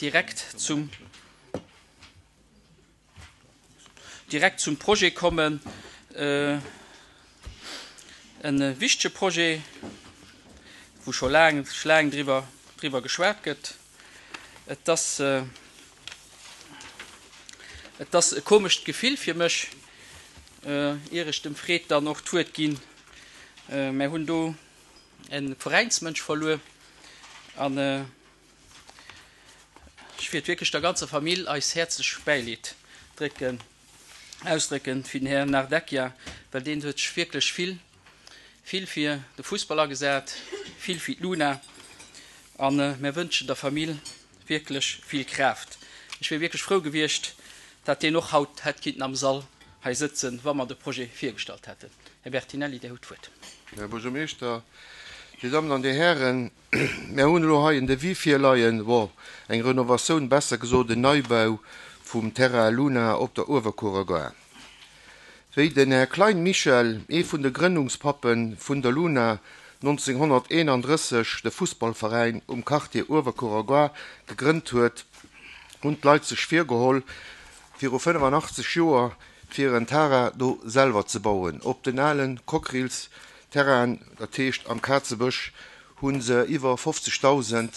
direkt zum direkt zum Projet kommen. E wichtege Projet, wou scho laang, laang driwwer, driwwer geschwat gëtt. Et ass, et ass e komescht Gefill fir mech, ier ech dem Fred dann och d'Wuert ginn. Mär hunn do e Veräinsmënsch verluer an ech wiert wierklech der ganzer Famill eis häerzlech Bäileed drécken, ausdrécken fir den Här Nardecchia, well deen huet sech wierklech vill, vill fir de Fussball agesat, vill fir d'Luna a mär wënschen der Famill wierklech vill Kraaft. Ech wier wierklech frou gewiescht, dat deen och haut hätt kinnten am Sall hei sëtzen, wa mer de Projet virgestallt hätten. Här Bertinelli, Dir hutt d'Wuert. Här Buergermeeschter, Dir Dammen an Dir Hären, mär hunn elo hei en Devis virleien, bon, eng Renovatioun, besser gesot en Neibau vum Terrain Luna op der Uewerkuerer Gare. Wéi den Här Klein Michel, ee vun de Grënnungspappe vun der Luna, 1931 de Fussballveräin um Quartier Uewerkuerer Gare gegrënnt huet, hunn d'Leit sech virgeholl, viru 85 Joer fir en Terrain do selwer ze bauen. Op den ale Cockerill-Terrainen, dat heescht am Kazebësch, hu se iwwer 50.000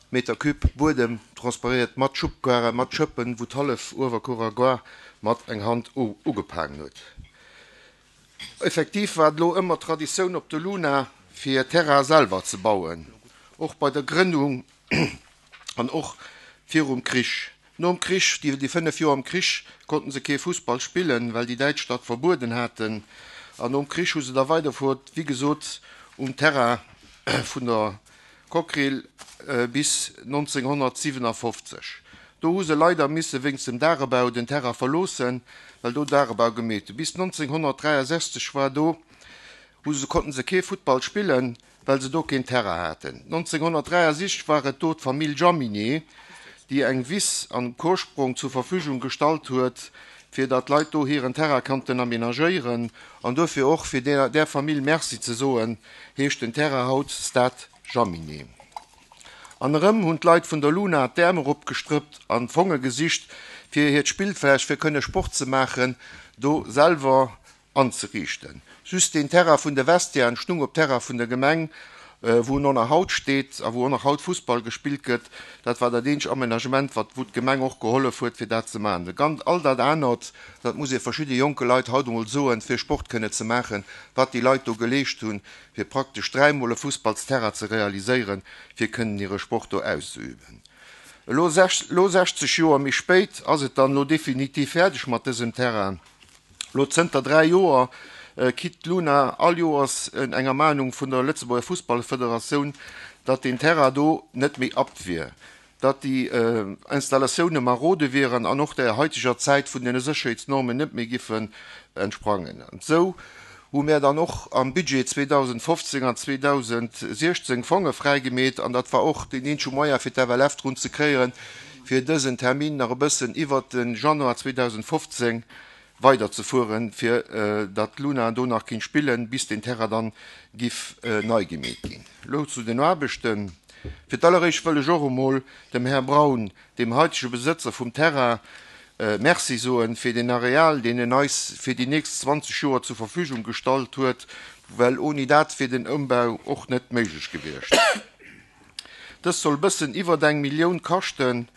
Meter Cube Buedem transparéiert mat Schubkarren, mat Schëppen, wou d'hallef Uewerkuerer Gare mat eng Hand ugepaangen huet. Effektiv war et elo ëmmer Traditioun op de Luna fir Terrain selwer ze bauen, och bei der Grënnung an och virum Krich. Nom Krich, déi 5 Joer am Krich, konnten se kee Fussball spillen, well déi Däitsch dat verbueden haten. An nom Krich hu se da weiderfuert, wéi gesot, um Terrain vun der Cockerill bis 1957. Do hu se leider misse wéinst dem Dagebau den Terrain verloossen, well do Dagebau gemeet hu. Bis 1963 war do, hu se, konnten se kee Futtball spillen, well se do keen Terrain haten. 1963 war et do d'Famill Jaminet, déi eng Wiss an Korsprong zur Verfügung gestallt huet, fir datt d'Leit do hiren Terrain konnten aménagéieren. An duerfir och, fir där Famill Merci ze soen, heescht den Terrain haut Stade Jaminet. An erëm hunn d'Leit vun der Luna d'Äerm eropgestrëppt an Fonge gesicht, fir hiert Spillfläch, fir kënne Sport ze maachen, do selwer anzeriichten. Just deen Terrain vun de Vestiairen stung op Terrain vun der Gemeng, wou en och nach haut steet a wou och nach haut Fussball gespillt gëtt. Dat war dat eenzeg Amenagement, wat, wou d'Gemeng och gehollef huet, fir dat ze maachen. De gan, all dat anert, dat muss ee verschidde jonke Leit haut emol soen, fir Sport kënne ze maachen, wat déi Leit do geleescht hunn, fir praktesch dräimol e Fussballsterrain ze realiséieren, fir kënnen hire Sport do auszeüben. Elo, elo 60 Joer méi spéit, ass et dann elo definitiv fäerdeg mat dësem Terrain. Lo zënter 3 Joer kitt d'Luna all Joers eng Ermahnung vun der Lëtzebuerger Fussballfederatioun, datt deen Terrain do net méi apt wier, datt déi Installatioune marode wieren an och der haiteger Zäit vun den Sécherheetsnormen net méi giffen entsprangen. An esou hu mär dann och am Budget 2015 an 2016 Fonge fräigemeet an dat war och deen eenzege Moyen fir d'FLF drun ze kréien, fir dësen Termin nach e bëssen iwwert de Januar 2015 weiderzefueren, fir datt d'Luna do nach kinnt spillen, bis den Terrain dann giff nei gemeet ginn. Elo zu den Aarbechten. Fir d'alleréischt wëll ech och emol dem Här Braun, dem haitege Besëtzer vum Terrain, Merci soen fir deen Areal, deen en eis fir déi nächst 20 Joer zur Verfügung gestallt huet, well oni dat wier den Ëmbau och net méiglech gewiescht. Dëst soll bëssen iwwert eng Millioun kaschten,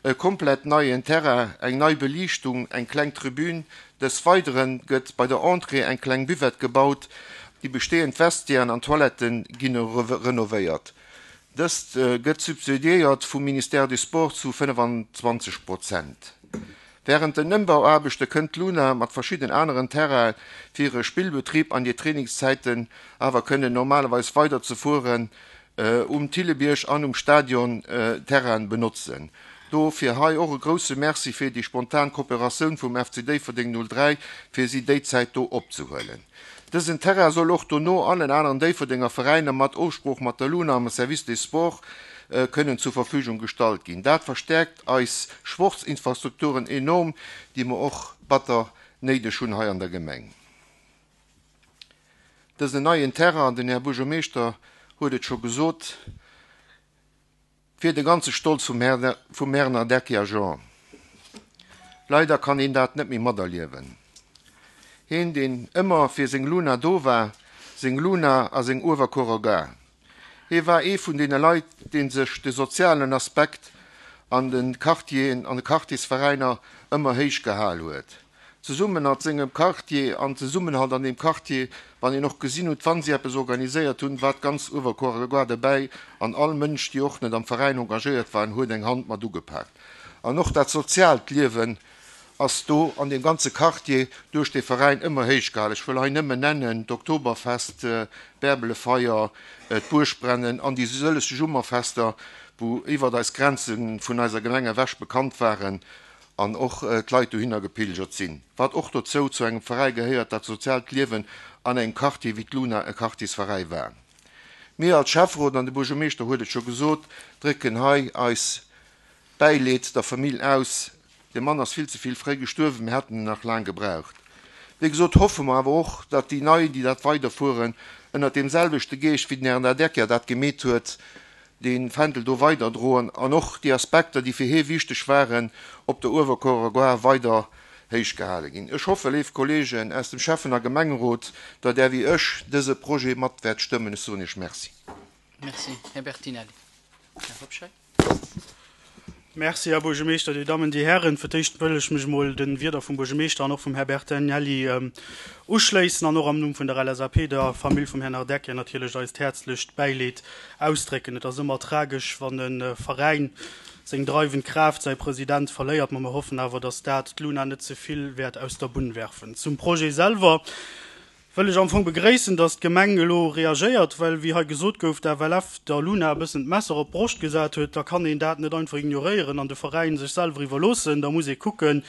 e komplett neien Terrain, eng nei Beliichtung, eng kleng Tribün. Des Weidere gëtt bei der Entrée eng kleng Buvette gebaut, déi bestehend Vestiairen an Toilette ginn renovéiert. Dëst gëtt subsidiéiert vum Ministère du Sport zu 25 Prozent. Wärend den Ëmbauaarbechte kënnt d'Luna mat verschidden aneren Terrainen fir hire Spillbetrib an hir Trainingszäiten awer kënnen normalerweis weider ze fueren um Thillebierg an um Stadion Terrainen benotzen. Dofir hei och e grousse Merci fir déi spontan Kooperatioun vum FC Déifferdeng 03 fir si déi Zäit do opzehuelen. Dësen Terrain soll och dono allen aneren Déifferdenger Veräiner mat Ofsprooch mat der Luna am Service des Sports kënnen zur Verfügung gestallt ginn. Dat verstäerkt eis Sportsinfrastrukturen enorm, déi mer och batter néideg hunn hei an der Gemeng. Dësen neien Terrain, den Här Buergermeeschter huet et scho gesot, Et wier de ganze Stolz vum Här, vum Här Nardecchia Jean. Leider kann heen dat net méi materliewen. Heen, deen ëmmer fir seng Luna do war, seng Luna a seng Uewerkuerer Gare. Hee war ee vun deene Leit, dee sech de sozialen Aspekt an de Quartieren, an de Quartiersveräiner ëmmer héich gehal huet. Zesummen mat sengem Quartier an Zesummenhalt an deem Quartier, wann een och gesinn huet, wa si eppes organiséiert hunn, war d'ganz Uewerkuerer Gare derbäi an all Mënsch, déi och net am Veräin engagéiert waren, huet eng Hand mat ugepaakt. An och dat soziaalt Liewen ass do an deem ganze Quartier duerch dee Veräin ëmmer héich gehalen. Ech wëll hei nëmmen nennen, d'Oktoberfest, d'Bärbelefeier, d'Buergbrennen an déi sëlleg Summerfester, wou iwwert eis Grenze vun eiser Gemeng ewech bekannt waren an och d'Leit dohinner gepilgert sinn. Wat och dozou zu engem Veräi gehéiert, dat soziaalt Liewen an engem Quartier wéi d'Luna e Quartiersveräi war. Mir als Schäfferot, an de Buergermeeschter huet et scho gesot, drécken hei eis Bäileed der Famill aus. De Mann ass vill ze vill fréi gestuerwen, mir hätten en nach laang gebraucht. Wéi gesot hoffe mer awer och, datt déi Nei, déi dat weiderfueren, ënnert deem selwechte Geescht, wéi den Här Nardecchia dat gemeet huet, dee Fändel do weiderdroen an och déi Aspekter, déi fir hie wichteg waren, op der Uewerkuerer Gare weider héich gehale ginn. Ech hoffe, léif Kolleegen aus dem Schäffen a Gemengerot, datt Där wéi ech dëse Projet mat wäert stëmmen. Ech soen Iech Merci. Merci, Här Bertinelli. Här Hobscheit. Merci, Här Buergermeeschter, Dir Dammen, Dir Hären. Fir d'éischt wëll ech mech emol de Wierder vum Buergermeeschter an och vum Här Bertinelli uschléissen an och am Numm vun der LSAP der Famill vum Här Nardecchia natierlech eist häerzlecht Bäileed ausdrécken. Et ass ëmmer tragesch, wann e Veräin seng dreiwend Kraaft, säi President, verléiert, ma mer hoffen awer, dass dat d'Luna net ze vill wäert aus der Bunn werfen. Zum Projet selwer. Wëll ech am Fong begréissen, dass d'Gemeng elo reagéiert, well, wéi hei gesot gouf, d'FLF der Luna e bëssen d'Messer op d'Broscht gesat huet. Da kann een dat net einfach ignoréieren an de Veräin sech selwer iwwerloossen. Da muss ee kucken,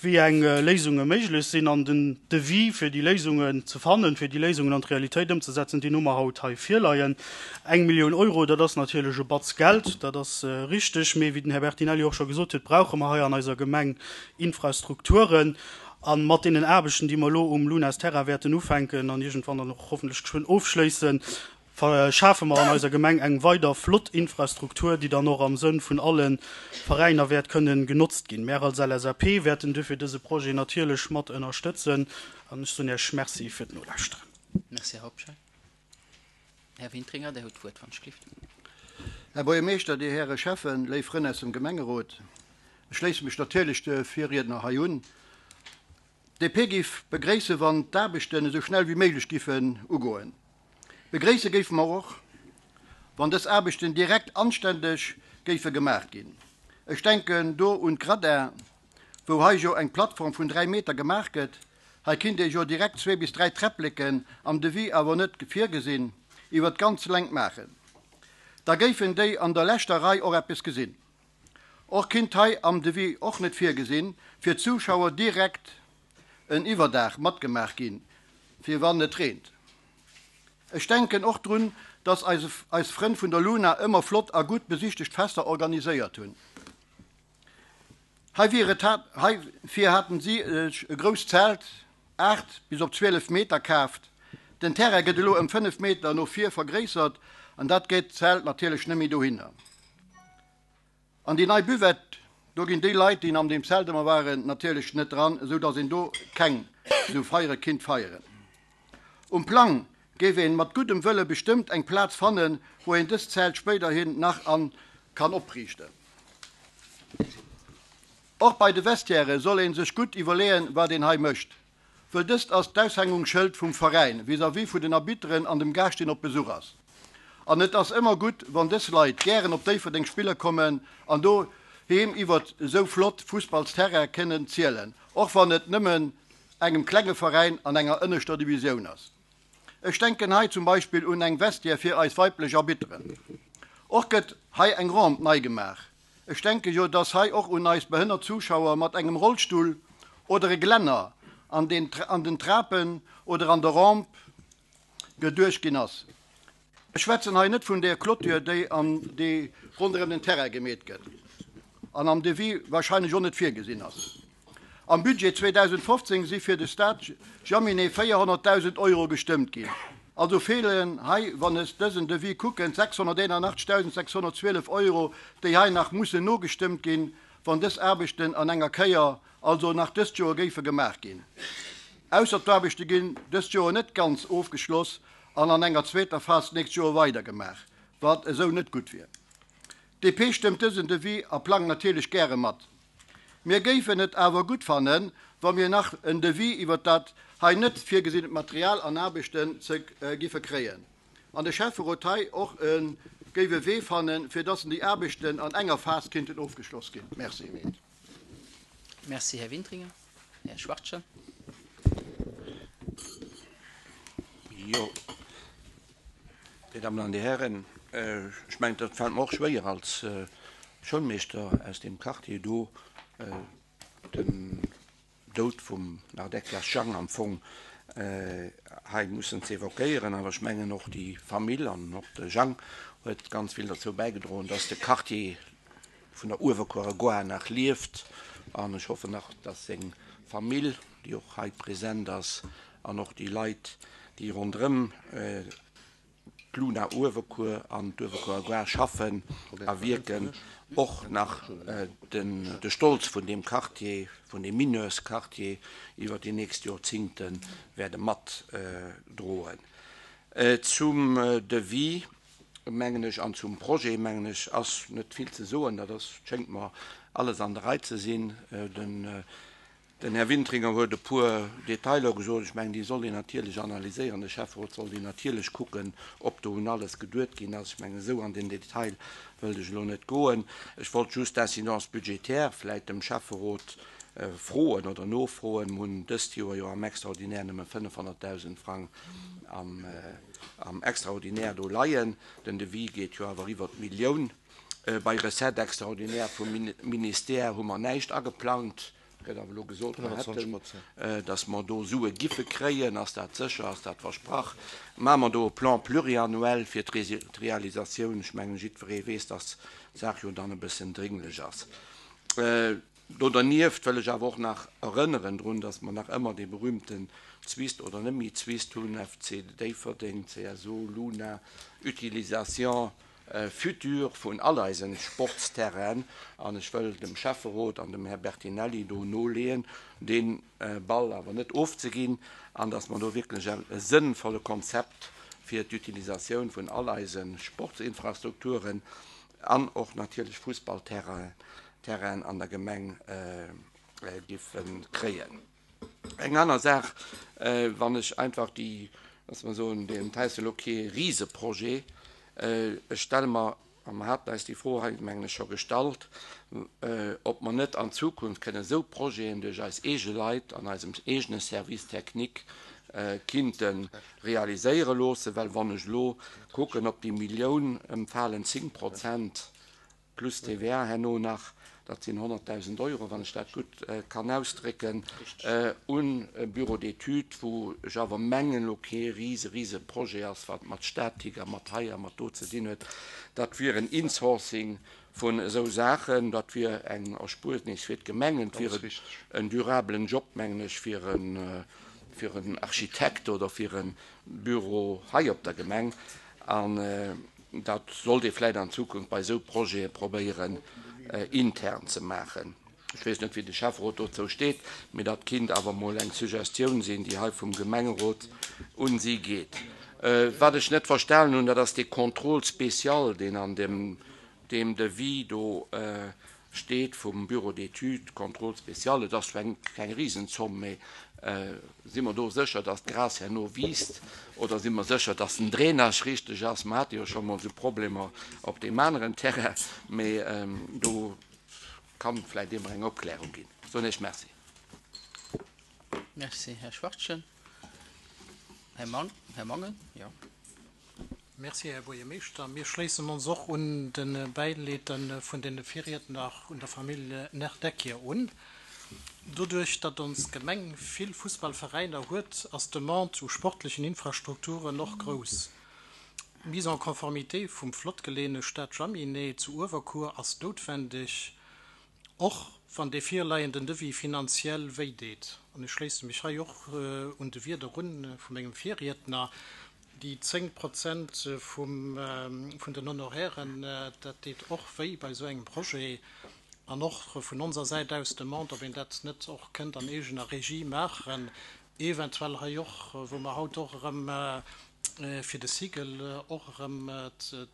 wéi eng Léisunge méiglech sinn. An den Devis, fir déi Léisungen ze fannen, fir déi Léisungen an d'Realitéit ëmzesetzen, deen hu mer haut hei virleien. Eng Millioun Euro, dat ass natierlech e Batz Geld, dat ass richteg. Mee wéi den Här Bertinelli och scho gesot huet, brauche mer hei an eiser Gemeng Infrastrukturen. A mat deenen Aarbechten, déi mer elo um Lunas Terrain wäerten ufänken an iergendwann dann och hoffentlech geschwënn ofschléissen, schafe mer an eiser Gemeng eng weider flott Infrastruktur, déi dann och am Sënn vun alle Veräiner wäert kënnen genotzt ginn. Mär als LSAP wäerten duerfir dëse Projet natierlech mat ënnerstëtzen an ech soen Iech Merci fir d'Nolauschteren. Merci, Här Hobscheit. Här Wintringer, Dir hutt d'Wuert, wann ech gelift. Här Buergermeeschter, Dir Häre Schäffen, léif Frënn aus dem Gemengerot, ech schléisse mech natierlech de Virriedner hei un. D'DP géif begréissen, wann d'Aarbechten esou schnell wéi méiglech giffen ugoen. Begréisse géife mer och, wann dës Aarbechten direkt anständeg géife gemaach ginn. Ech denken do un d'Gradin, wou hei jo eng Plattform vun 3 Meter gemaach gëtt. Hei kinnt ee jo direkt zwee bis 3 Träppleken, am Devis awer net virgesinn, iwwer d'ganz Längt maachen. Da géifen déi an der leschter Rei och eppes gesinn. Och kinnt hei, am Devis och net virgesinn, fir d'Zuschauer direkt en Iwwerdaach matgemaach ginn, fir wann et reent. Ech denken och drun, dass eis Frënn vun der Luna ëmmer flott a gutt besichtegt Fester organiséiert hunn. Heivir haten si sech e grousst Zelt, 8 bis op 12 Meter, kaaft. Den Terrain gëtt elo ëm 5 Meter no vir vergréissert an dat geet d'Zelt natierlech net méi dohinner. An déi nei Buvette, do ginn déi Leit, déi an deem Zelt ëmmer waren, natierlech net dran, esou datt een do keng esou Feiere kinnt feieren. Um Plang géif een mat guddem Wëlle bestëmmt eng Plaz fannen, wou een dëst Zelt spéiderhin nach an kann opriichten. Och bei de Vestiaire soll een sech gutt iwwerleeën, wat een hei mécht, wëll dëst ass d'Aushängungsschëld vum Veräin vis-à-vis vu den Arbitteren an dem Gaascht, deen op Besuch ass. An et ass ëmmer gutt, wann dës Leit gären op Déifferdeng spille kommen an doheem iwwert esou flott Fussballsterraine kënnen zielen, och wann et nëmmen engem klenge Veräin an enger ënneschter Divisioun ass. Ech denken hei zum Beispill un eng Vestiaire fir eis weiblech Arbitteren. Och gëtt hei eng Rampe nei gemaach. Ech denke jo, dass hei och un eis behënnert Zuschauer mat engem Rollstull oder e Glänner an den an den Trapen oder an der Rampe geduecht ginn ass. Ech schwätzen hei net vun där Clôture, déi an déi ronderëm den Terrain gemeet gëtt an am Devis wahrscheinlech och net virgesinn ass. Am Budget 2015 si fir de Stade Jaminet 400.000 Euro gestëmmt ginn. Also feelen hei, wann ech dësen Devis kucken, 681.612 Euro, déi hei nach mussen nogestëmmt ginn, wann dës Aarbechten an enger Kéier, also nach dëst Joer, géife gemaach ginn. Ausser d'Aarbechte ginn dëst Joer net ganz ofgeschloss an an enger zweeter Phas d'nächst Joer weidergemaach, wat esou net gutt wier. D'DP stëmmt dësen Devis a Plang natierlech gäre mat. Mir géifen et awer gutt fannen, wa mir nach en Devis iwwert dat hei net virgesinnent Material an Aarbechten ze giffe kréien an de Schäfferot hei och e géif e Wee fannen, fir dass déi Aarbechten an enger Phas kinnten ofgeschloss ginn. Merci. Merci, Här Wintringer. Här Schwachtgen. Jo, Dir Dammen an Dir Hären, ech mengen, dat fält mer och schwéier als Schoulmeeschter aus deem Quartier do, den Doud vum Nardeckias Jang am Fong hei mussen ze évoquéieren. Awer ech mengen och déi Famill an och de Jang huet ganz vill derzou bäigedroen, dass de Quartier vun der Uewerkuerer Gare nach lieft. An ech hoffen nach, dass seng Famill, déi och hei present ass, an och déi Leit, déi ronderëm d'Luna Uewerkuer an d'Uewerkuerer Gare schaffen a wierken, och nach de Stolz vun deem Quartier, vun deem Mineursquartier iwwer déi nächst Jorzingte wäerte matdroen. Zum Devis, mengen ech, an zum Projet, mengen ech, ass net vill ze soen. Dat ass, schéngt mer alles an der Rei ze sinn. Den Här Wintringer huet e puer Detailer gesot. Ech mengen, déi soll een natierlech analyséieren. De Schäfferot soll déi natierlech kucken, ob do un alles geduet ginn ass. Ech mengen, esou an den Detail wëllt ech elo net goen. Ech wollt just d'Incidence budgétaire vläicht dem Schäfferot froen oder nofroen. Mir hunn dëst Joer jo am Extraordinaire nëmme 500.000 Frang am Extraordinaire do leien. Den Devis geet jo awer iwwert d'Millioun. Bei Recettes extraordinaires vum Ministère hu mer näischt ageplangt. Gëtt awer elo gesot, mer hätten, datt mer do Sue giffe kréien. Ass dat sécher? Ass dat versprach? Maache mer do e Plan pluriannuel fir d'Realisatioun? Ech mengen, jiddweree weess, datt d'Saach jo dann e bëssen drénglech ass. Do dernieft wëll ech awer och nach erënneren drun, datt mer nach ëmmer dee berühmten Zwist oder net méi Zwist hunn, FC Déifferdeng, CSO, Luna, Utilisation Futur vun all eisen Sportsterrainen, an ech wëll dem Schäfferot an dem Här Bertinelli do noleeën, dee Ball awer net ofzeginn, an dass mer do wierklech e sënnvolle Konzept fir d'Utilisatioun vun all eise Sportsinfrastrukturen an och natierlech Fussballterrainen an der Gemeng giffe kréien. Eng aner Saach, wann ech einfach déi, lass mer soen, deen heist elo kee Riseprojet, ech stelle mer, a mer haten eis déi Fro hei, mengen ech, scho gestallt, ob mer net an Zukunft kënnen esou Projeten duerch eis eege Leit an eisem eegene Service technique kinnte realiséiere loossen, well wann ech elo kucken op déi Millioun, ëmfalen 10 Prozent plus TVA herno nach, dat sinn 100.000 Euro, wann ech dat gutt kann ausdrécken, un e Bureau d'études, wou ech awer mengen elo kee rise, rise Projet ass, wat mat Statik a mat hei a mat do ze dinn huet. Dat wier en Insourcing vun esou Saachen, dat wier eng Erspuernis fir d'Gemengen, et wier en durabelen Job, mengen ech, fir en Architekt oder fir e Büro hei op der Gemeng. An dat sollt ee vläicht an Zukunft bei esou Projete probéieren intern ze maachen. Ech weess net, wéi de Schäfferot dozou steet, mee dat kinnt awer emol eng Suggestioun sinn, déi hei vum Gemengerot un si geet. Wat ech net verstanen hunn, dat ass dee Contrôle spécial, deen an deem Devis do steet vum Bureau d'études, Contrôle spécial, et ass zwar keng Risenzomm, mee si mer do sécher, datt d'Gras herno wiisst oder si mer sécher, datt den Drainage richteg ass? Mer hate jo scho mol esou Problemer op deem aneren Terrain, mee do kann vläicht ee mer eng Opklärung ginn. Soen Iech Merci. Merci, Här Schwachtgen. Här Mangen, jo. Merci, Här Buergermeeschter. Mir schléissen ons och un de Bäileed vun de Virriedner un der Famill Nerdeckier un. Doduerch, datt ons Gemeng vill Fussballveräiner huet, ass d'Demande u sportlechen Infrastrukturen och grouss. D'Mise en conformité vum flott geleeëne Stade Jaminet zu Uewerkuer ass noutwendeg, och wann dee virleienden Devis finanziell wéi deet. An ech schléisse mech hei och un de Wieder un vu mengem Virriedner. Déi 10 Prozent vum, vun den Honorairen, dat deet och wéi bei esou engem Projet. An och vun onser Säit aus d'Demande, ob een dat net och kënnt an eegener Regie maachen, eventuell hei och, wou mer haut och erëm fir de Cycle och erëm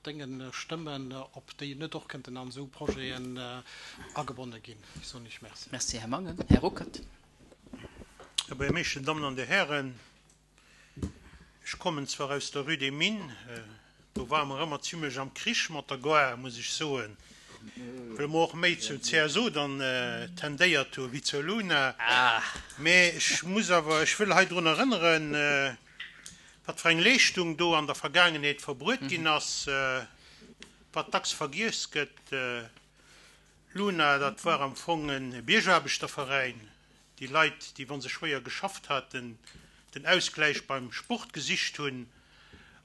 d'Dénge stëmmen, ob déi net och kënnten an esou Projeten agebonne ginn. Ech soen Iech Merci. Merci, Här Mangen. Här Ruckert. Här Buergermeeschter, Dammen an Dir Hären, Ech kommen zwar aus der Rue des Mines, do ware mer ëmmer zimlech am Krich mat der Gare, muss ech soen, well mer och méi zum CSO dann tendéiert hu wéi zur Luna. Mä ech muss awer, ech wëll hei drun erënneren, wat fir eng Leeschtung do an der Vergaangenheet verbruet ginn ass, wat dacks vergiess gëtt. Luna, dat war am Fong e Biergaarbechterveräin, Déi Leit, déi, wa se schwéier geschafft haten, den Ausgläich beim Sport gesicht hunn.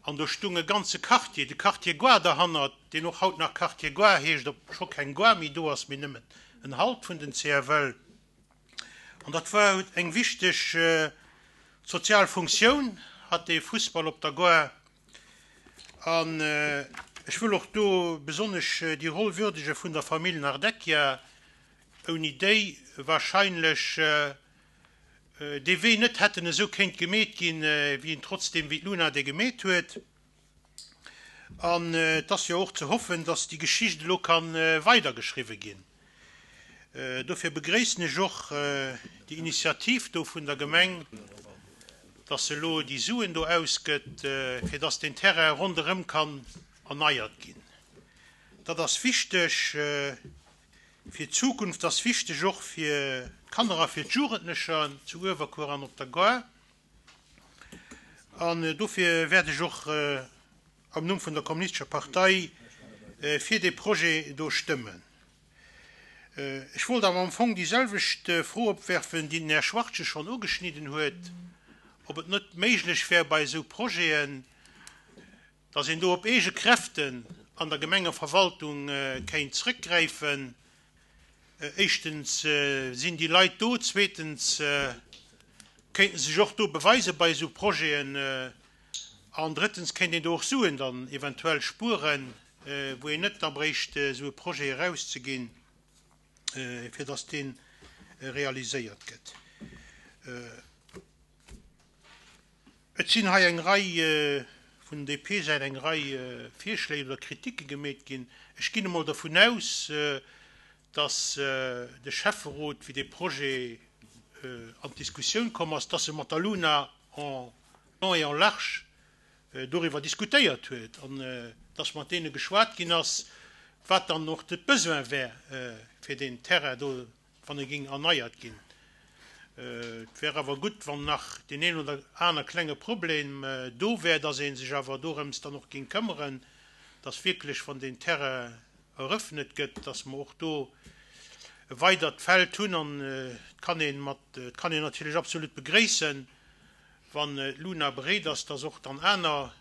An do stung e ganze Quartier, de Quartier Goar derhannert, deen och haut nach Quartier Goar heescht, obscho keng Goar méi do ass, mee nëmmen en Halt vun den CFL. An dat war eng wichteg sozial Funktioun, hat dee Fussball op der Goar. An ech wëll och do besonnesch déi Roll würdege vun der Famill Nardecchia, ouni déi wahrscheinlech dee Wee net hätten esou kéint gemeet ginn, wéi en trotzdem, wéi d'Luna dee gemeet huet. An et ass jo och ze hoffen, dass déi Geschicht elo ka weidergeschriwwe ginn. Dofir begréissen ech och déi Initiativ do vun der Gemeng, dass se elo déi Suen do ausgëtt, fir dass deen Terrain ronderëm kann erneiert ginn. Dat ass wichteg. Fir d'Zukunft ass wichteg, och fir d'Kanner a fir d'Jugendlecher zu Uewerkuer an op der Gare. An dofir wäert ech och am Numm vun der Kommunistescher Partei fir dee Projet do stëmmen. Ech wollt awer am Fong déi selwecht Fro opwerfen, déi den Här Schwartje schonn ugeschnidden huet, ob et net méiglech wär, bei esou Projeten, dass een do op eege Kräften an der Gemengeverwaltung kéint zrëckgräifen. Éischtens sinn déi Leit do, zweetens kéinte se sech och do beweise bei esou Projeten an drëttens kéint een do och Suen dann eventuell spueren, wou een net da bréicht esou e Projet erauszeginn, fir dass dee realiséiert gëtt. Et sinn hei eng Rei, vun DP-Säit eng Rei Virschléi oder Kritike gemeet ginn. Ech ginn emol dervun aus, dass de Schäfferot, wéi dee Projet an d'Diskussioun komm ass, dass e mat der Luna en long et en large doriwwer diskutéiert huet an dass mat deene geschwat ginn ass, wat dann och de Besoin wär, fir deen Terrain do wann e géing erneiert ginn. Et wär awer gutt, wann nach deen een oder aner klenge Problem do wär, dass ee sech awer dorëms dann och géing këmmeren, dass wierklech, wann deen Terrain erëffnet gëtt, dass mer och do e weidert Feld hunn. An et kann ee mat, et kann een natierlech absolut begréissen, wann d'Luna bereet ass, dass och dann aner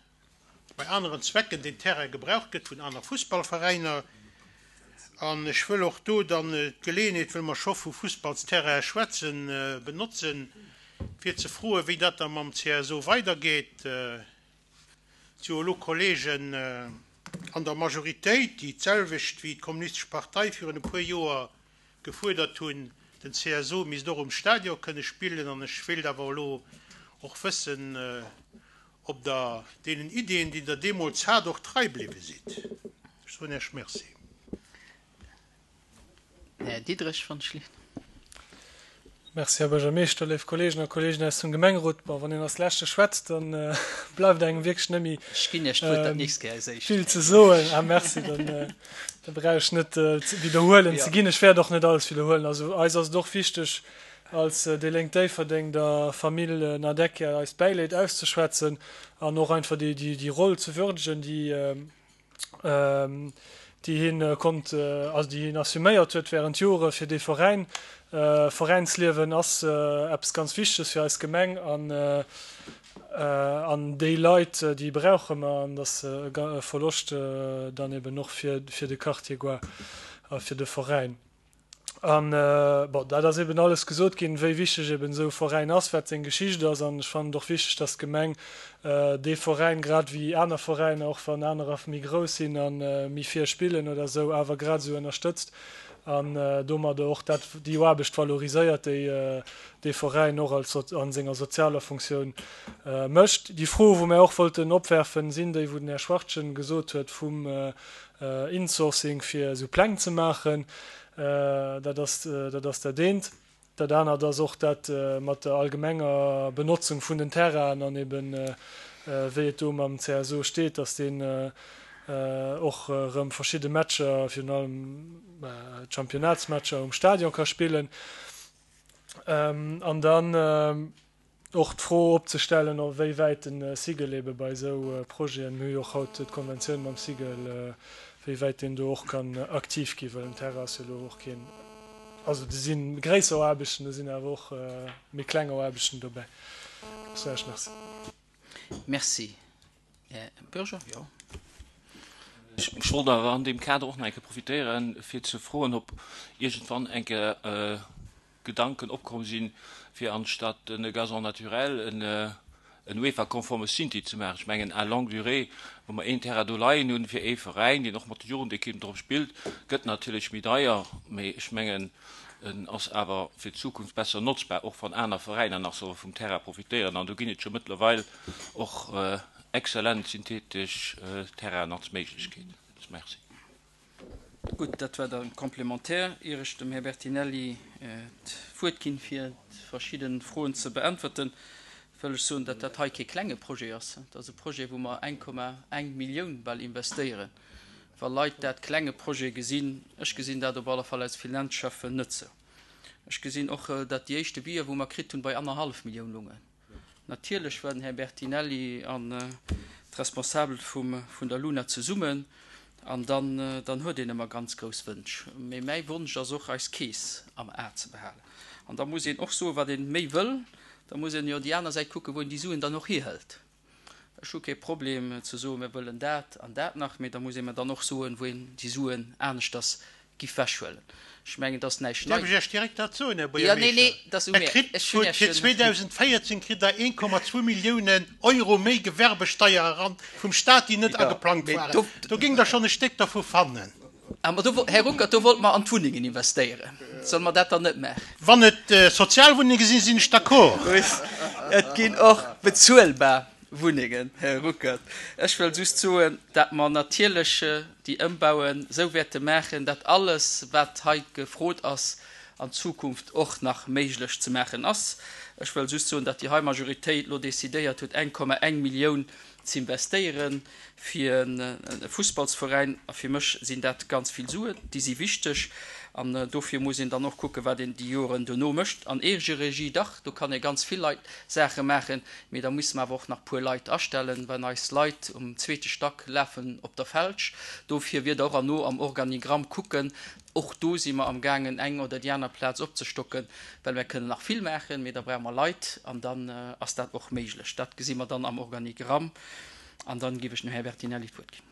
bei aneren Zwecken deen Terrain gebraucht gëtt vun aner Fussballveräiner. An ech wëll och do dann d'Geleeënheet, wëll mer scho vu Fussballsterraine schwätzen, benotzen, fir ze froen, wéi dat da mam CSO weidergeet. Et si jo elo Kollegen an der Majoritéit, déi d'selwecht wéi d'Kommunistesch Partei virun e puer Joer gefuerdert hunn, den CSO misst och um Stadion kënne spillen. An ech wéilt awer elo och wëssen, ob Der deenen Iddien, déi Der deemools hat, och trei bliwwe sidd. Ech soen Iech Merci. Här Diderich von Schlicht. Merci, Här Buergermeeschter, léif Kolleegen a Kolleegen aus dem Gemengerot. Bon, wann een als Leschte schwätzt, da bleift engem wierklech net méi Ech ginn Iech d'Wuert dat nächst Kéier als Éischt. vill ze soen. Ah, merci, dann da brauch ech net widderhuelen ze ginn. Ech wäert och net alles widderhuelen. Also eis ass et och wichteg, als déi Lénk Déifferdeng der Famill Nardecchia eist Bäileed auszeschwätzen an och einfach déi Roll ze würdegen, déi hien konnt, also déi hien assuméiert huet während Jore fir dee Veräin. Veräinsliewen ass eppes ganz Wichteges fir eis Gemeng an an déi Leit, déi brauche mer an dat ass e Verloscht dann eben och fir de Quartier Goar a fir de Veräin. An, bon, dat ass eben alles gesot ginn, wéi wichteg eben esou e Veräin ass, wat seng Geschicht ass. An ech fannen et och wichteg, dass d'Gemeng dee Veräin, grad wéi aner Veräiner, och wann anerer méi grouss sinn a méi vir spillen oder esou, awer grad esou ënnerstëtzt an domadder och dat, déi Aarbecht valoriséiert, déi dee Veräin och als a senger sozialer Funktioun mécht. Déi Froe wou mär och wollten opwerfen, sinn déi, wou den Här Schwachtgen gesot huet vum Insourcing fir esou Pläng ze maachen. Dat ass dat ass dat eent. Dat anert ass och dat mat der allgemenger Benotzung vun den Terrainen an eben wéi et do mam CSO steet, datt deen och erëm verschidde Matcher, virun allem d'Championnatsmatcher um Stadion ka spillen. An dann och d'Fro opzestellen, a wéi wäit de Cigl ebe bei esou Projeten, mir hu jo och haut d'Konventioun mam Cigl, wéi wäit deen do och kann aktiv ginn, well um Terrain ass jo elo och keen, also do si gréisser Aarbechten, do sinn awer och méi kleng Aarbechten dobäi. Ech soen Iech Merci. Merci, Här Bürger. Jo. Ech wollt awer an deem Kader och nach eng Kéier profitéieren, fir ze froen, ob iergendwann eng Kéier Gedanken opkomm sinn, fir anstatt e Gazon naturel en UEFA-konforme Synthi ze maachen. Ech mengen, à longue durée, wa mer een Terrain do leien hunn fir ee Veräin, deen och mat de Jugendekippen drop spillt, gëtt natierlech méi deier, mee ech mengen, en ass awer fir d'Zukunft besser notzbar, och wann aner Veräiner nach solle vum Terrain profitéieren. An do ginn et scho mëttlerweil och exzellent synthetesch Terrainen als Méiglechkeet. Merci. Gutt, dat war dann d'Complémentaire. Ier ech dem Här Bertinelli d'Wuert ginn, fir verschidde Froen ze beäntwerten, wëll ech soen, datt dat hei kee klenge Projet ass. Et ass e Projet, wou mer 1,1 Millioun bal investéieren. Wa Leit dat klenge Projet gesinn, ech gesinn dat op alle Fall als Finanzschäffen net sou. Ech gesinn och, datt déi éischt Devisë wou mer kritt hunn, bei annerhallef Millioun lungen. Natierlech war den Här Bertinelli an d'Responsabel vum vun der Luna zesummen an dann dann huet een ëmmer ganz grouss Wënsch. Mee mäi Wonsch ass och eis Keess am A ze behalen. An da muss een och soen, wat een méi wëll, da muss een jo déi aner Säit kucken, wou een déi Suen dann och hierhëlt. Ech hu kee Problem ze soen, mir wëllen dat an dat nach, mee da muss ee mer dann och soen, wou een déi Suen aneschters giff wechhuelen. Ech mengen, et ass näischt Däerf ech Iech direkt dat soen, Här Buergermeeschter? Der kritt fir 2014 kritt Der 1,2 Milliounen Euro méi Gewerbesteier eran vum Stat, déi net ageplangt waren. Do géingt Der schonn e Stéck dervu fannen. Ah, do, Här Ruckert, do wollte mer an d'Wunnengen investéieren. Solle mer dat dann net maachen? Wann et Sozialwunnenge sinn, sinn ech d'accord. Et ginn och bezuelbar Wunnengen, Här Ruckert. Ech wëll just soen, dat mer natierlech déi Ëmbauen esou wäerte maachen, dat alles, wat hei gefrot ass, an Zukunft och nach méiglech ze maachen ass. Ech wëll just soen, dat déi hei Majoritéit elo decidéiert huet, 1,1 Millioun z'investéiere fir e Fussballsveräin. A fir mech sinn dat ganz vill Suen, déi si wichteg. An dofir muss een dann och kucken, wat een déi Joren duerno mécht. An Eegeregie, dach, do kann ee ganz vill Leit Saache maachen, mee da musse mer awer och nach puer Leit astellen, well eis Leit um zweete Stack lafen op der Felsch. Dofir wier Der och erno am Organigramm kucken, Och do si mer am gaangen eng oder déi aner Plaz opzestocken, well mer kënnen nach vill maachen, mee da brauche mer Leit an dann ass dat och méiglech. Dat gesi mer dann am Organigramm an dann géif ech dem Här Bertinelli d'Wuert ginn.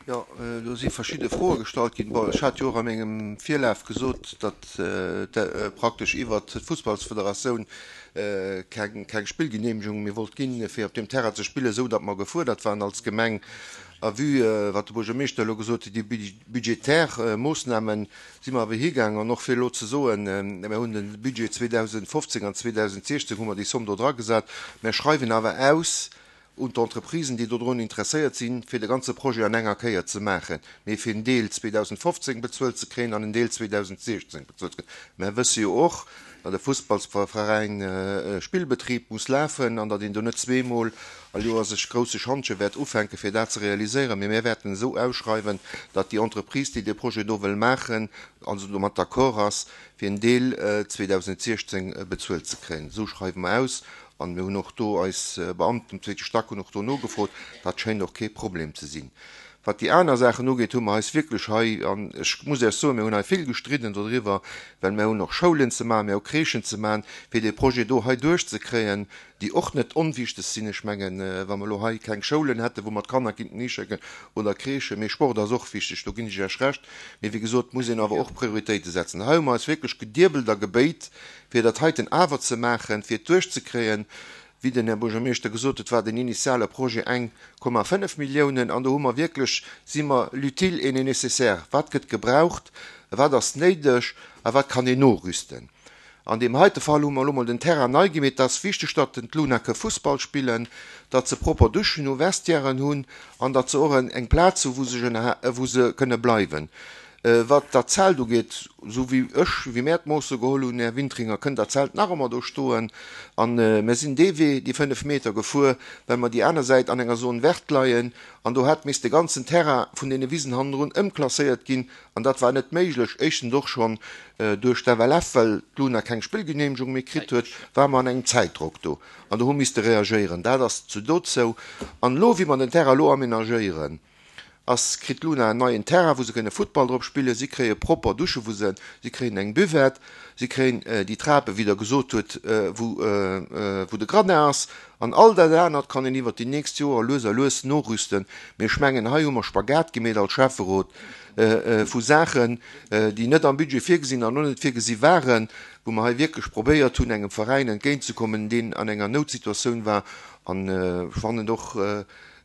Jo, do si verschidde Froe gestallt ginn. Bon, ech hat jo och a mengem Virlaf gesot, datt praktesch iwwert d'Fussballsfederatioun keng Spillgeneemegung méi wollt ginn, fir op deem Terrain ze spillen, esou datt mer gefuerdert waren als Gemeng. A vue wat de Buergermeeschter elo gesot huet, déi budgetär Moossnamen, si mer awer higaangen, an och fir elo ze soen, mir hunn de Budget 2015 an 2016 hu mer déi Somm do dragesat, mer schreiwen awer aus un d'Entreprisen, déi dodrun interesséiert sinn, fir de ganze Projet an enger Kéier ze maachen, mee fir en Deel 2015 bezuelt ze kréien an en Deel 2016 bezuelt ze kréien. Mer wësse jo och, datt e Fussballsveräin Spillbetrib muss lafen an datt een do net zweemol all Joer sech grousse Schantje wäert ufänken, fir dat ze realiséieren. Mee mir wäerten esou ausschreiwen, datt déi Entreprise, déi dee Projet do wëll maachen, also domat d'accord ass, fir en Deel 2016 bezuelt ze kréien. Esou schreiwe mer aus. An mir hunn och do, eis Beamten um zweete Stack hunn och do nogefrot, dat schéint och kee Problem ze sinn. Wat déi aner Saachen ugeet, hu mer eis wierklech hei, an ech muss Iech soen, mir hunn hei vill gestridden dodriwwer, well mir hunn och Schoulen ze maachen, mir hu Crèchen ze maachen, fir dee Projet do hei duerchzekréien, déi och net onwichteg sinn. Ech mengen, wa mer elo hei keng Schoulen hätten, wou mer d'Kanner kinnten hischécken, oder Crèchen, mee Sport ass och wichteg, do ginn ech Iech Recht. Mee wéi gesot, muss een awer och Prioritéite setzen. Hei hu mer eis wierklech gediebelt a gebéit, fir dat heiten awer ze maachen, fir et duerchzekréien. Wéi den Här Buergermeeschter gesot huet, war den initiale Projet 1,5 Milliounen. An do hu mer wierklech, si mer l'utile et le nécessaire, wat gëtt gebraucht, wat ass néideg a wat kann een norüsten. An deem heite Fall hu mer elo mol den Terrain nei gemeet. Et ass wichteg, datt den d'Luna ke Fussball spillen, datt se propper Duschen hu, Vestiairen hunn an datt se och eng Plaz hu wou se wou se kënne bleiwen. Wat dat Zelt ugeet, esou wéi ech, wéi mär d'Moosse geholl hunn, Här Wintringer, kënnt dat Zelt nach ëmmer do stoen. A mär sinn dee Wee, déi 5 Meter, gefuer, well mer déi aner Säit an enger Zone verte leien an do hätt misst de ganzen Terrain vun deene Wisen hannendrun ëmklasséiert ginn an dat war net méiglech. Éischtens och schonn duerch d'FLF, well d'Luna keng Spillgeneemegung méi kritt huet, ware mer an engem Zäitdrock do an do hu misste reagéieren. Dat ass zu dozou. An elo, wéi mer den Terrain elo amenagéieren, ass, kritt d'Luna en neien Terrain, wou se kënne Futtball drop spillen, si kréie propper Dusche wou se, si kréien eng Buvette, si kréien déi Trape wéi Der gesot hutt, wou wou de Gradin ass an all dat anert kann een iwwert déi nächst Joer lues a lues norüsten. Mee ech mengen, hei hu mer Spagat gemeet als Schäfferot vu Saachen, déi net am Budget virgesinn an och net virgesi waren, wou mer hei wierklech probéiert hunn, engem Veräin entgéintzekommen, deen an enger Noutsituatioun war an ech fannen och,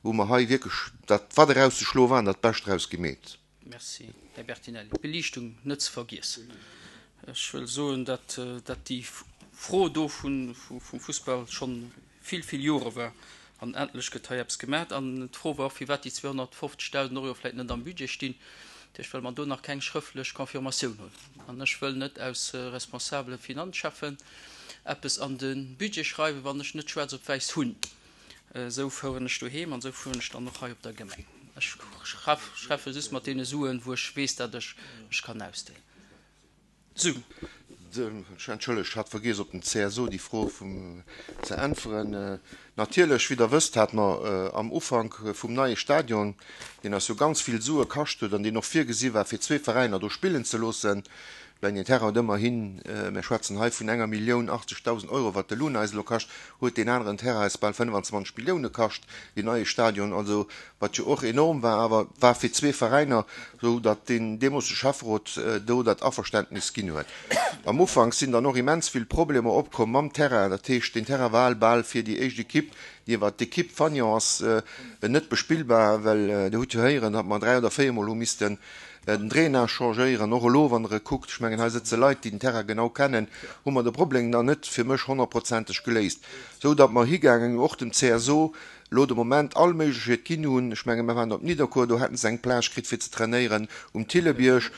wou mer hei wierklech dat, wat erauszeschloe war, dat Bescht draus gemeet. Merci, Här Bertinelli. D'Beliichtung net ze vergiessen. Ech wëll soen, datt dat déi Fro do vum Fussball scho vill, vill Jore war. An endlech gëtt hei eppes gemaach. An d'Fro war och, firwat déi 250.000 Euro vläicht net am Budget stinn. Dat heescht, well mer do nach keng schrëftlech Confirmatioun hunn. An ech wëll net aus responsabele Finanzcheffen eppes an de Budget schreiwen, wann ech net schwaarz op wäiss hunn. Esou foueren ech doheem an esou fueren ech dann och hei op der Gemeng. Ech schaffe just mat deene Suen, wou ech weess, datt ech mech kann ausdéinen. Sou. Entschëllegt, ech hat vergiess op den CSO déi Fro vum ze äntweren. Natierlech, wéi Der wësst, hate mer am Ufank vum neie Stadion, deen eis jo ganz vill Sue kascht huet an deen och virgesi war, fir zwee Veräiner do spillen ze loossen, Well den Terrain huet ëmmerhin, mir schwätzen hei vun enger Millioun 80.000 Euro, wat de Luna eis elo kascht, huet deen aneren Terrain eis bal 25 Millioune kascht, deen neie Stadion, also wat jo och enorm war, awer war fir zwee Veräiner, esou datt deen deemolsege Schäfferot do dat Averständnis ginn huet. Am Ufank sinn dann och immens vill Problemer opkomm mam Terrain, dat heescht, deen Terrain war al bal fir déi éischt Equipe, déi war d'Equipe Fagnon ass net bespillbar, well Dir hutt jo héieren, datt mer dräi oder véiermol hu missten Den Drainage changéieren, och elo, wann Der e kuckt, ech mengen, hei sëtze Leit, déi den Terrain genau kennen, hu mer de Problem nach net fir mech honnertprozenteg geléist, esou datt mer higaangen, och dem CSO elo de Moment all Méiglechkeet ginn hunn. Ech menge mer waren op Nidderkuer, do hätte se eng Plage kritt fir ze trainéieren um Thillebierg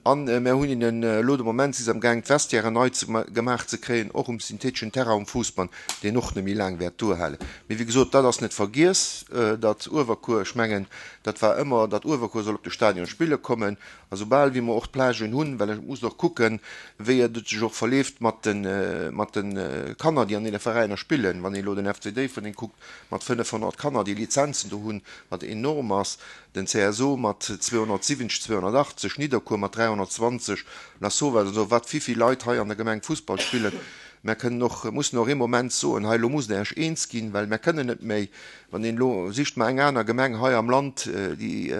an mer hunn hinnen elo de Moment, si se amgaang d'Vestiairen nei ze gemaach ze kréien, och um syntheteschen Terrain um Fousbann, deen och net méi laang wäert duerhalen. Mee wéi gesot, dat ass net vergiess, datt Uewerkuer, ech mengen, Dat war ëmmer, datt Uewerkuer soll op de Stadion spille kommen. A soubal wéi mer och d'Plagen hunn, well ech muss och kucken, wéi et sech och verleeft mat de mat de Kanner, déi an deene Veräiner spillen. Wann een elo den FC Déifferdeng kuckt mat 500 Kanner, déi Lizenzen do hunn, wat enorm ass, den CSO mat 270, 280, Nidderkuer mat 320, Lasauvage an esou, wat wéivill Leit hei an der Gemeng Fussball spillen. Mer kënnen och, mussen och ee Moment soen, hei elo musst Der Iech eens ginn, well mer kënnen net méi. Wann een elo, sicht mer eng aner Gemeng hei am Land, déi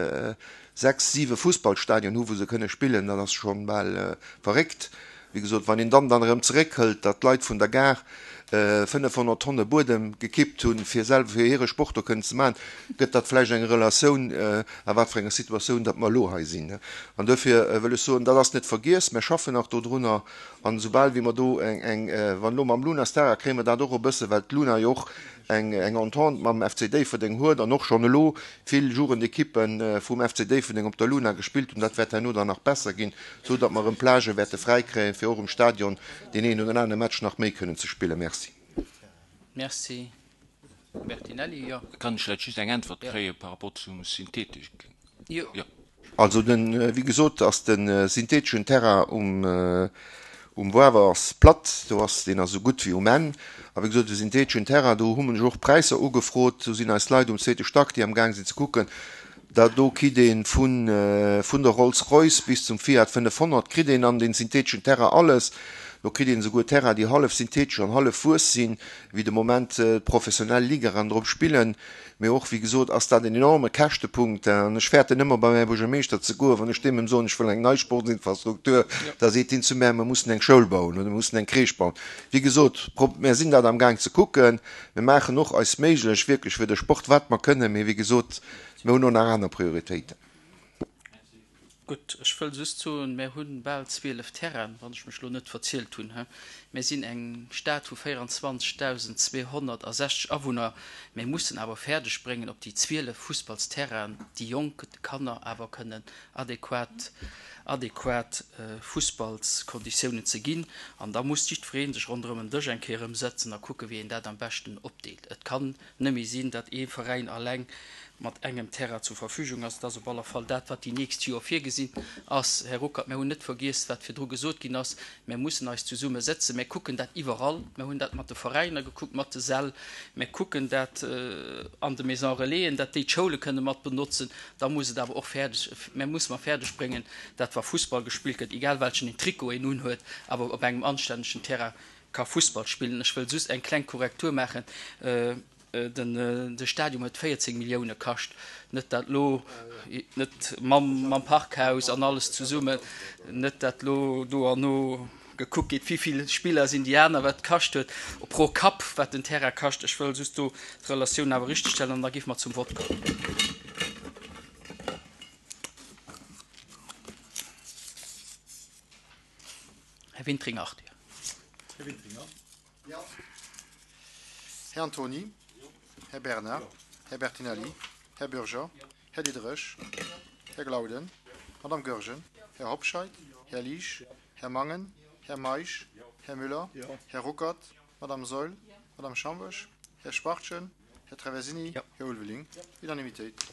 sechs, siwe Fussballstadien hu wou se kënne spillen, dat ass scho bal verréckt. Wéi gesot, wann een dann dann erëm zeréckhëlt, datt d'Leit vun der Gare 500 Tonne Buedem gekippt hunn, fir selwer fir hire Sport do kënnen ze maachen, gëtt dat vläicht eng Relatioun, a wat fir enger Situatioun datt mer elo hei sinn. An duerfir wëll ech soen, dat ass net vergiess, mer schaffen nach dodrunner. An esoubal wéi mer do eng, eng, wann elo mam Luna Stara kréie mer dat och e bësse, well d'Luna jo och eng Entente mam FC Déifferdeng huet an och schonn elo vill Jugendekippe vum FC Déifferdeng op der Luna gespillt hunn. Dat wäert herno dann nach besser ginn, esou datt mer erëm Plagë wäerte fräi kréien, fir och um Stadion deen een oder anere Match nach méi kënnen ze spillen. Merci. Merci, Bertinelli. Jo. Kann ech vläicht just eng Äntwert kréie par rapport zum Synthetik? Jo. Also den, wéi gesot ass de syntheteschen Terrain um um Woawer ass platt, do ass deen ass esou gutt wéi um Enn. A wéi gesot de syntheteschen Terrain, do hu mer och Präisser ugefrot, do sinn eis Leit um zweete Stack, déi am gaang sinn ze kucken. Da do kritt ee vun vun der Rolls-Royce bis zum Fiat 500 kritt een an den syntheteschen Terrain alles. Do kritt een esouguer Terrain, déi hallef synthetesch an hallef Wues sinn, wéi de Moment d'professionell Ligaen drop spillen. Mee och, wéi gesot, ass dat en enorme Käschtepunkt. An ech fäerten ëmmer, bei mäi Buergermeeschter ze goen, wann ech deem soen, ech wëll eng nei Sportsinfrastruktur, da seet hien zu mär, mer mussen eng Schoul bauen oder mer mussen eng Crèche bauen. Wéi gesot, mär sinn dat amgaang ze kucken. Mir maachen och eist Méiglech wierklech fir de Sport, wat mer kënnen. Mee wéi gesot, mir hunn och nach aner Prioritéiten. Gutt, ech wëll just soen, mär hu bal 12 Terrainen, wann ech mech elo net verzielt hunn. Mär sinn eng Stad vu 24.260 Awunner. Mär mussen awer fäerdeg bréngen, op déi 12 Fussballsterrainen déi jonk Kanner awer kënnen adequat, adequat Fussballskonditiounen ze ginn. An da muss jiddweree sech ronderëm en Dësch eng Kéier erëm sëtzen a kucken, wéi een dat am beschten opdeelt. Et kann net méi sinn, datt ee Veräin alleng mat engem Terrain zur Verfügung ass. Et ass op aller Fall dat, wat déi nächst Joer virgesinn ass. Här Ruckert, mir hunn net vergiess, wat virdru gesot ginn ass. Mir mussen eis zesumme sëtzen. Mir kucken dat iwwerall. Mir hunn dat mat de Veräiner gekuckt, mat de Säll. Mir kucken dat an de Maisons Relaisen, datt déi d'Schoule kënne mat benotzen. Da muss et awer och fäerdeg, mir musse mer fäerdeg bréngen, dat wa Fussball gespillt gëtt, egal welchen een Trikot een unhuet, awer op engem anstännegen Terrain ka Fussball spillen. Ech wëll just eng kleng Korrektur maachen, De Stadium huet 14 Millioune kascht, net dat lo, net mam Parkhaus an alles zesummen, net dat lo do an no gekuckt gétt, wéivill Spiller sinn déi aner, wat et kascht huet pro Kapp, wat den Terrain kascht. Ech wëll just do d'Relatioun awer richtegstellen an da géife mer zum Vott kommen. Här Wintringer Arthur. Här Wintringer. Jo. Här Antony. Här Bernard. Här Bertinelli. Här Bürger. Här Diderich. Här Glauden. Madame Goergen. Här Hobscheit. Här Liesch. Här Mangen. Här Meisch. Här Müller. Här Ruckert. Madame Saeul. Madame Schambosch. Här Schwachtgen. Här Traversini. Här Ulveling. Unanimitéit.